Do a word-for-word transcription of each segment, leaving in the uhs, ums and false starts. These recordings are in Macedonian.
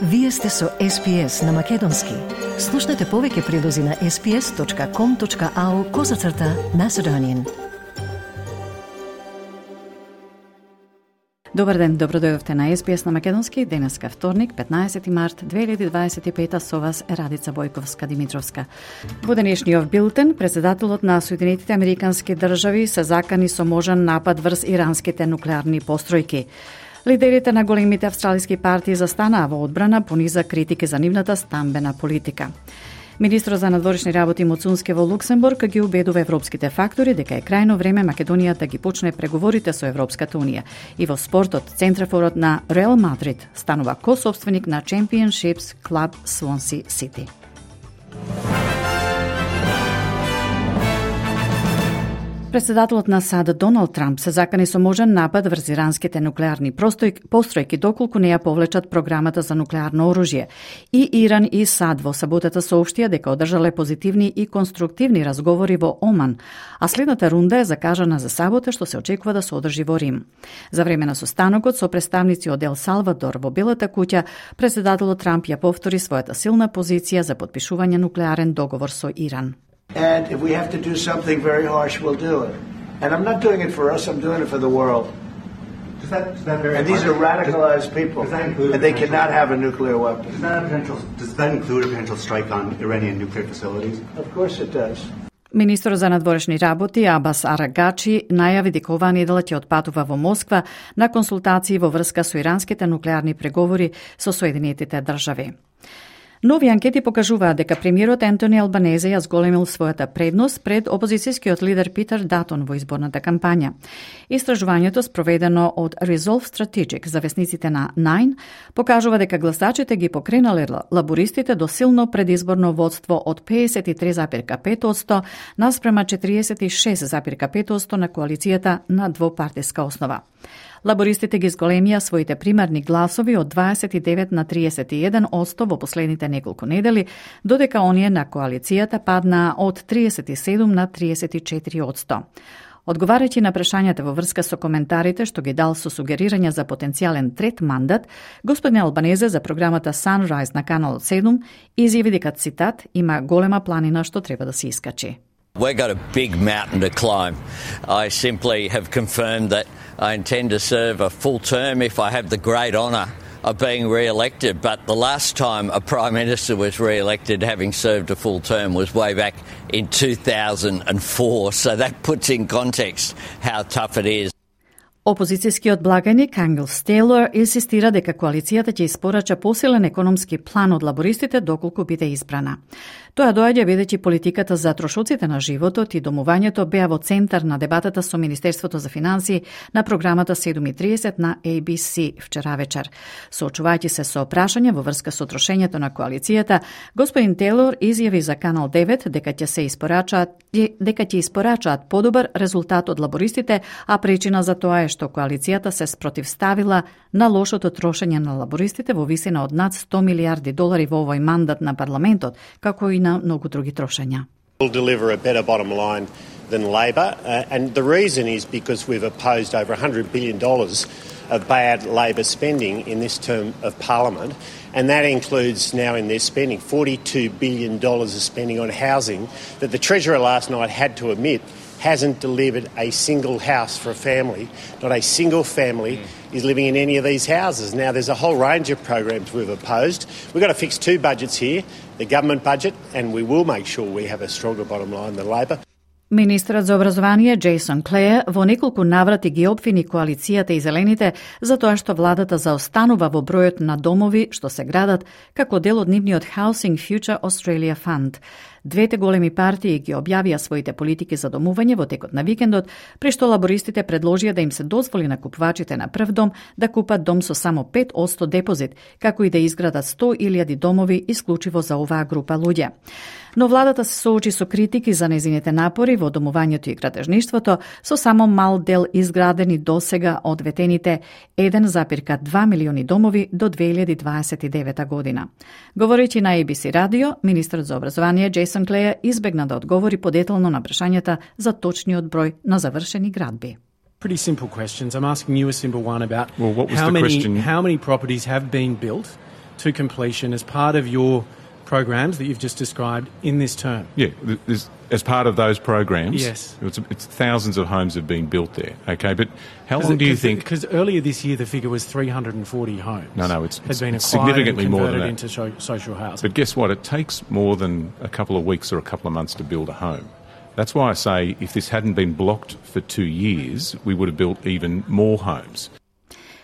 Вие сте со Ес Пи Ес на Македонски. Слушнете повеќе прилози на ес пи ес точка ком точка ау козацрта Macedonian. Добар ден, добро дојдовте на Ес Пи Ес на Македонски. Денеска вторник, петнаесети март две илјади дваесет и пета, со вас е Радица Бојковска-Димитровска. Во денешниот билтен, председателот на Соединетите Американски држави се закани со можен напад врз иранските нуклеарни постројки. Лидерите на големите австралиски партии застанаа во одбрана по низа критики за нивната стамбена политика. Министрот за надворешни работи Муцунски во Луксембург ги убедува европските фактори дека е крајно време Македонија да ги почне преговорите со Европската унија. И во спортот, центрафорот на Реал Мадрид станува косопственик на Championships клуб Swansea City. Председателот на САД Доналд Трамп се закани со можен напад врз иранските нуклеарни постројки доколку не ја повлечат програмата за нуклеарно оружје. И Иран и САД во саботата соопштија дека одржале позитивни и конструктивни разговори во Оман, а следната рунда е закажана за сабота, што се очекува да се одржи во Рим. За време на состанокот со представници од Ел Салвадор во Белата куќа, председателот Трамп ја повтори својата силна позиција за подпишување нуклеарен договор со Иран. And if we have to do something very harsh, we'll do it. And I'm not doing it for us, I'm doing it for the world. Does that, does that very and these are radicalized does, people, does include and they cannot have a nuclear weapon. Does that, have potential, does that include a potential strike on Iranian nuclear facilities? Of course it does. Министрот за надворешни работи Абас Арагачи најави дека оваа недела ќе отпатува во Москва на консултации во врска со иранските нуклеарни преговори со Соединетите држави. Нови анкети покажуваат дека премиерот Ентони Албанезе ја зголемил својата предност пред опозицијскиот лидер Питер Датон во изборната кампања. Истражувањето спроведено од Resolve Strategic за весниците на Nine покажува дека гласачите ги покренале лабористите до силно предизборно водство од педесет и три зарез и пет одсто наспрема четириесет и шест зарез и пет одсто на коалицијата на двопартиска основа. Лабористите ги зголемија своите примарни гласови од дваесет и девет на триесет и еден одсто во последните неколку недели, додека оние на коалицијата паднаа од триесет и седум на триесет и четири одсто. Одговарајќи на прашањата во врска со коментарите што ги дал со сугерирање за потенцијален трет мандат, господин Албанезе за програмата Sunrise на каналот седум изјави дека, цитат, има голема планина што треба да се искачи. We've got a big mountain to climb. I simply have confirmed that I intend to serve a full term if I have the great honour of being re-elected. But the last time a Prime Minister was re-elected having served a full term was way back in two thousand four. So that puts in context how tough it is. Опозицијскиот благаник Ангел Стейлор инсистира дека коалицијата ќе испорача посилен економски план од лабористите доколку биде избрана. Тоа доаѓа бидејќи политиката за трошоците на животот и домувањето беа во центар на дебатата со Министерството за финансии на програмата седум и триесет на Ей Би Си вчера вечер. Соочувајќи се со прашање во врска со трошењето на коалицијата, господин Тейлор изјави за Канал девет дека ќе се испорачаат дека ќе испорачаат подобар резултат од лабористите, а причина за тоа е што коалицијата се спротивставила на лошото трошење на лабористите во висина од над сто милиарди долари во овој мандат на парламентот, како и на многу други трошења. We'll deliver a better bottom line than Labor, uh, and the reason is because we've opposed over one hundred billion dollars of bad Labor spending in this term of Parliament, and that includes now in their spending forty-two billion dollars of spending on housing that the Treasurer last night had to admit hasn't delivered a single house for a family. Not a single family is living in any of these houses. Now, there's a whole range of programs we've opposed. We've got to fix two budgets here, the government budget, and we will make sure we have a stronger bottom line than Labor. Министрот за образование Джейсон Клеј во неколку наврати ги обвини коалицијата и зелените за тоа што владата заостанува во бројот на домови што се градат како дел од нивниот Housing Future Australia Fund. Двете големи партии ги објавија своите политики за домување во текот на викендот, при што лабористите предложија да им се дозволи на купувачите на прв дом да купат дом со само пет одсто депозит, како и да изградат сто илјади домови исклучиво за оваа група луѓе. Но владата се соочи со критики за незините напори во домувањето и градежништвото, со само мал дел изградени досега од ветените еден зарез два милиони домови до две илјади дваесет и девета година. Говорејќи на Ей Би Си радио, министрот за образование Джейсон Клеј избегна да одговори подетално на прашањата за точниот број на завршени градби. Pretty simple questions. I'm asking you a simple one about well, what was how the many question? how many properties have been built to completion as part of your programs that you've just described in this term? Yeah, there's, as part of those programs, yes. it's, it's thousands of homes have been built there, okay? But how long it, do you think... Because earlier this year the figure was three hundred forty homes. No, no, it's, it's, been it's significantly and more than that. into so, social housing. But guess what? It takes more than a couple of weeks or a couple of months to build a home. That's why I say if this hadn't been blocked for two years, we would have built even more homes.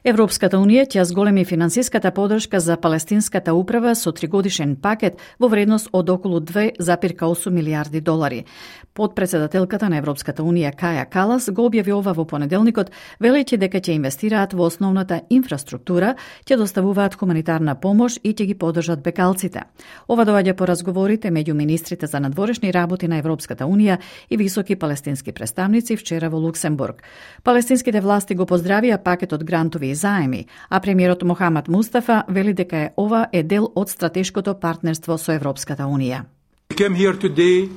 Европската Унија ќе зголеми финансиската подршка за палестинската управа со тригодишен пакет во вредност од околу две зарез осум милијарди долари. Подпредседателката на Европската Унија Каја Калас го објави ова во понеделникот, велејќи дека ќе инвестираат во основната инфраструктура, ќе доставуваат хуманитарна помош и ќе ги поддржат бекалците. Ова доаѓа по разговорите меѓу министрите за надворешни работи на Европската Унија и високи палестински представници вчера во Луксембург. Палестинските власти го поздравија пакетот грантови и заеми, а премиерот Мохамед Мустафа вели дека е ова е дел од стратешкото партнерство со Европската Унија. We came here today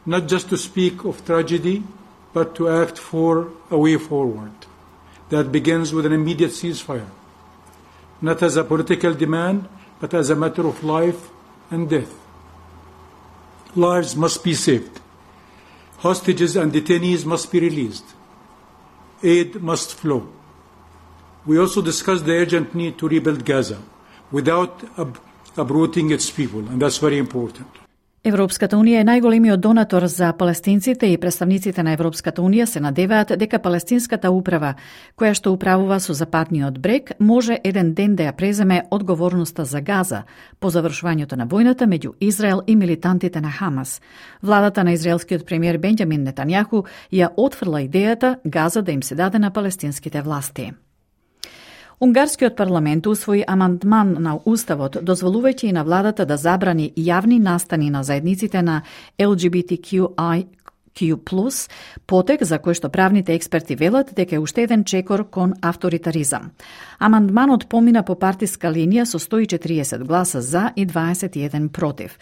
not just to speak of tragedy, but to act for a way forward that begins with an immediate ceasefire, not as a political demand, but as a matter of life and death. Lives must be saved. Hostages and detainees must be released. Aid must flow. We also discussed the urgent need to rebuild Gaza without ab- uprooting its people, and that's very important. Европската Унија е најголемиот донатор за палестинците и представниците на Европската Унија се надеваат дека палестинската управа, која што управува со западниот брег, може еден ден да ја преземе одговорноста за Газа по завршувањето на војната меѓу Израел и милитантите на Хамас. Владата на израелскиот премиер Бенџамин Нетањаху ја отфрла идејата Газа да им се даде на палестинските власти. Унгарскиот парламент усвои амандман на Уставот, дозволувајќи и на владата да забрани јавни настани на заедниците на Ел Џи Би Ти Кју Ај Кју плюс, потек за кој што правните експерти велат дека е уште еден чекор кон авторитаризам. Амандманот помина по партиска линија со сто и четириесет гласа за и дваесет и еден против.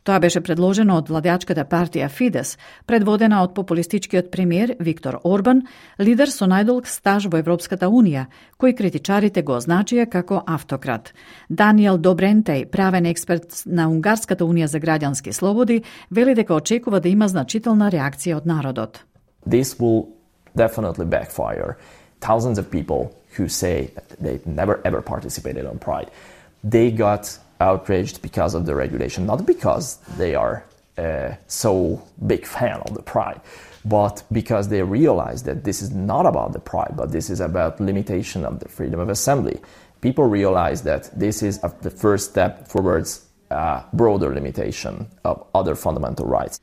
Тоа беше предложено од владеачката партија Фидес, предводена од популистичкиот премиер Виктор Орбан, лидер со најдолг стаж во Европската Унија, кој критичарите го означија како автократ. Даниел Добрентеј, правен експерт на Унгарската Унија за граѓански слободи, вели дека очекува да има значителна реакција од народот. This will definitely backfire. Thousands of people who say that they never ever participated on Pride, they got outraged because of the regulation, not because they are uh, so big fan of the Pride, but because they realize that this is not about the Pride, but this is about limitation of the freedom of assembly. People realize that this is a, the first step towards a broader limitation of other fundamental rights.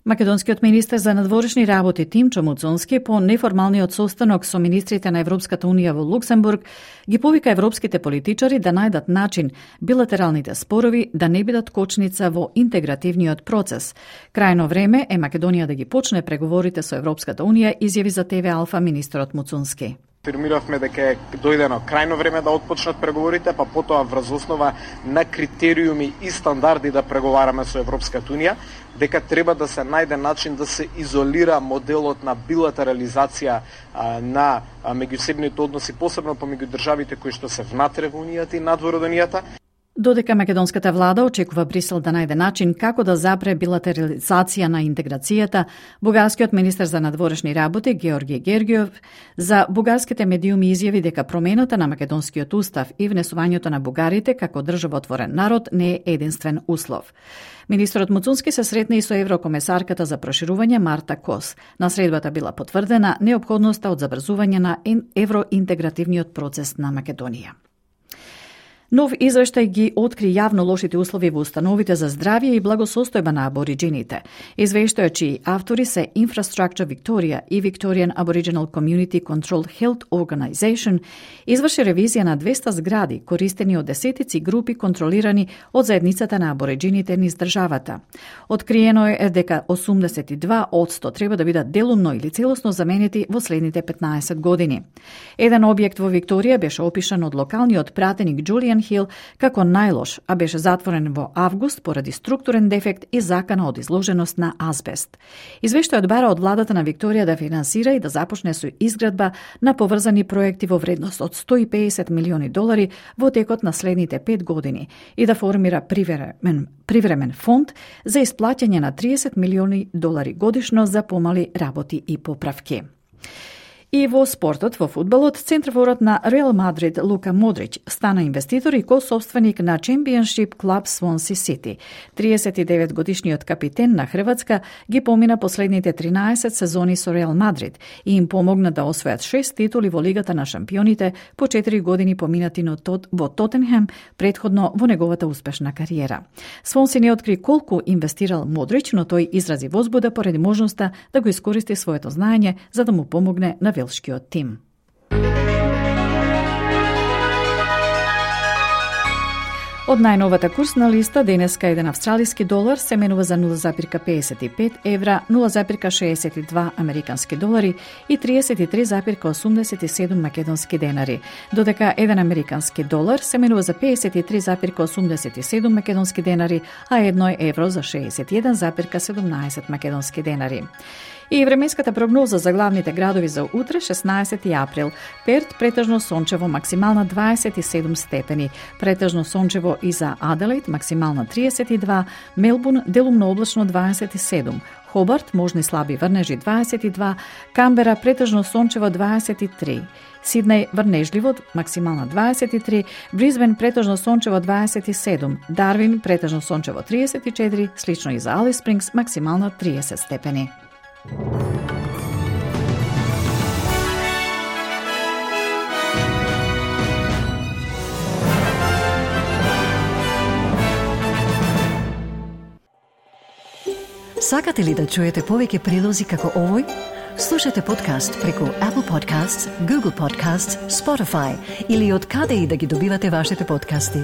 Македонскиот министер за надворешни работи Тимчо Муцунски по неформалниот состанок со министрите на Европската Унија во Луксембург ги повика европските политичари да најдат начин билатералните спорови да не бидат кочница во интегративниот процес. Крајно време е Македонија да ги почне преговорите со Европската Унија, изјави за Те Ве Алфа министерот Муцунски. Афирмиравме дека е дојдено крајно време да отпочнат преговорите, па потоа врз основа на критериуми и стандарди да преговараме со Европската Унија, дека треба да се најде начин да се изолира моделот на билатерализација а, на а, меѓусебните односи, посебно помеѓу државите кои што се внатре во Унијата и надвор од Унијата. Додека македонската влада очекува Брисел да најде начин како да запре билатерализација на интеграцијата, бугарскиот министер за надворешни работи Георги Гергиев за бугарските медиуми изјави дека промената на македонскиот устав и внесувањето на бугарите како државотворен народ не е единствен услов. Министерот Муцунски се сретна и со еврокомесарката за проширување Марта Кос. На средбата била потврдена неопходноста од забрзување на евроинтегративниот процес на Македонија. Нов извештај ги откри јавно лошите услови во установите за здравје и благосостојба на абориџините. Извештајот чии автори се Infrastructure Victoria и Victorian Aboriginal Community Controlled Health Organization изврши ревизија на двеста згради користени од десетици групи контролирани од заедницата на абориџините низ државата. Откриено е дека осумдесет и два одсто треба да бидат делумно или целосно заменети во следните петнаесет години. Еден објект во Викторија беше опишан од локалниот пратеник Џулијан Biggin Hill како најлош, а беше затворен во август поради структурен дефект и закана од изложеност на азбест. Извештајот бара од владата на Викторија да финансира и да започне со изградба на поврзани проекти во вредност од сто и педесет милиони долари во текот на следните пет години и да формира привремен, привремен фонд за исплаќање на триесет милиони долари годишно за помали работи и поправки. И во спортот, во фудбалот, центрофорот на Реал Мадрид Лука Модрич стана инвеститор и ко-собственик на Championship Club Swansea City. триесет и девет годишниот капитен на Хрватска ги помина последните тринаесет сезони со Реал Мадрид и им помогна да освојат шест титули во Лигата на шампионите по четири години поминати во Тотенхем, предходно во неговата успешна кариера. Свонси не откри колку инвестирал Модрич, но тој изрази возбуда поради можноста да го искористи своето знаење за да му помогне на велшкиот тим. Од најновата курсна листа, денеска еден австралиски долар се менува за нула запирка педесет и пет евра, нула запирка шеесет и два американски долари и триесет и три запирка осумдесет и седум македонски денари, додека еден американски долар се менува за педесет и три запирка осумдесет и седум македонски денари, а едно евро за шеесет и еден запирка седумнаесет македонски денари. И временската прогноза за главните градови за утре, шеснаесети април. Перт претежно сончево, максимална дваесет и седум степени. Претежно сончево и за Аделаид, максимална триесет и два. Мелбурн делумно облачно дваесет и седум. Хобарт можни слаби врнежи дваесет и два. Камбера претежно сончево дваесет и три. Сиднеј врнежливо, максимална дваесет и три, Бризбен претежно сончево дваесет и седум, Дарвин претежно сончево триесет и четири, слично и за Алис Спрингс, максимална триесет степени. Сакате ли да чуете повеќе прилози како овој? Слушате подкаст преку Apple Podcasts, Google Podcasts, Spotify или од каде и да ги добивате вашите подкасти.